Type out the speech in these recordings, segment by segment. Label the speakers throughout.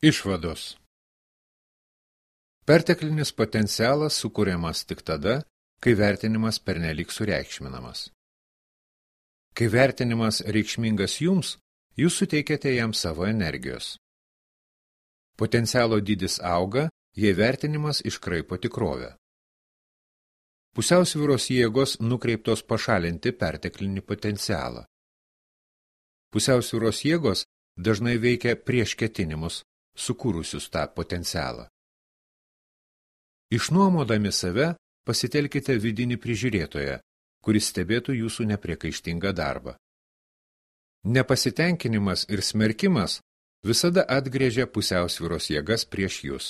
Speaker 1: Išvados. Perteklinis potencialas sukuriamas tik tada, kai vertinimas pernelyg sureikšminamas. Kai vertinimas reikšmingas jums, jūs suteikiate jam savo energijos. Potencialo dydis auga, jei vertinimas iškraipo tikrovę. Pusiausvyros jėgos nukreiptos pašalinti perteklinį potencialą. Pusiausvyros jėgos dažnai veikia prieš ketinimus, sukūrusius tą potencialą. Išnuomodami save, pasitelkite vidinį prižiūrėtoją, kuris stebėtų jūsų nepriekaištingą darbą. Nepasitenkinimas ir smerkimas visada atgrėžia pusiausvyros jėgas prieš jūs.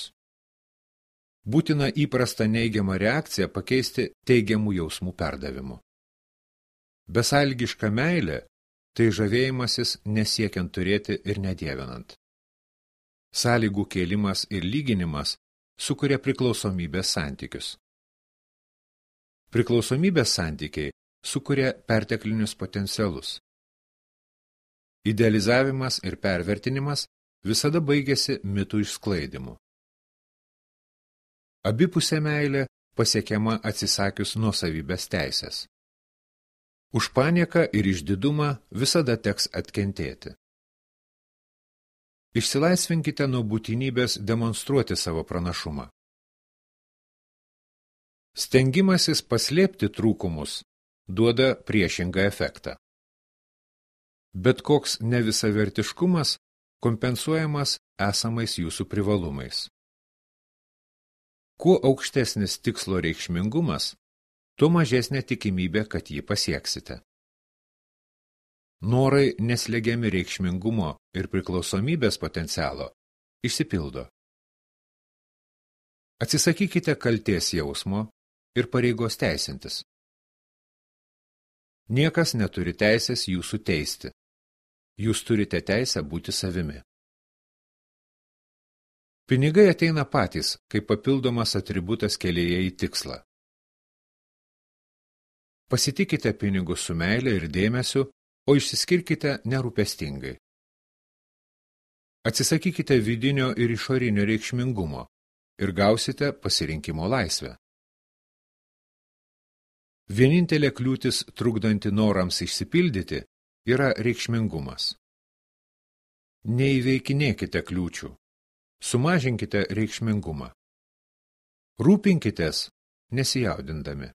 Speaker 1: Būtina įprastą neigiamą reakciją pakeisti teigiamų jausmų perdavimu. Besąlygiška meilė – tai žavėjimasis nesiekiant turėti ir nedievinant. Sąlygų kėlimas ir lyginimas sukuria priklausomybės santykius. Priklausomybės santykiai sukuria perteklinius potencialus. Idealizavimas ir pervertinimas visada baigėsi mitų išsklaidimu. Abipusė meilė pasiekiama atsisakius nuosavybės teisės. Už panieką ir išdidumą visada teks atkentėti. Išsilaisvinkite nuo būtinybės demonstruoti savo pranašumą. Stengimasis paslėpti trūkumus duoda priešingą efektą. Bet koks nevisavertiškumas kompensuojamas esamais jūsų privalumais. Kuo aukštesnis tikslo reikšmingumas, tuo mažesnė tikimybė, kad jį pasieksite. Norai neslegiami reikšmingumo ir priklausomybės potencialo išsipildo. Atsisakykite kaltės jausmo ir pareigos teisintis. Niekas neturi teisės jūsų teisti. Jūs turite teisę būti savimi. Pinigai ateina patys, kaip papildomas atributas kelyje į tikslą. Pasitikite pinigus su meile ir dėmesiu, o išsiskirkite nerūpestingai. Atsisakykite vidinio ir išorinio reikšmingumo ir gausite pasirinkimo laisvę. Vienintelė kliūtis trukdanti norams išsipildyti yra reikšmingumas. Neįveikinėkite kliūčių, sumažinkite reikšmingumą. Rūpinkitės nesijaudindami.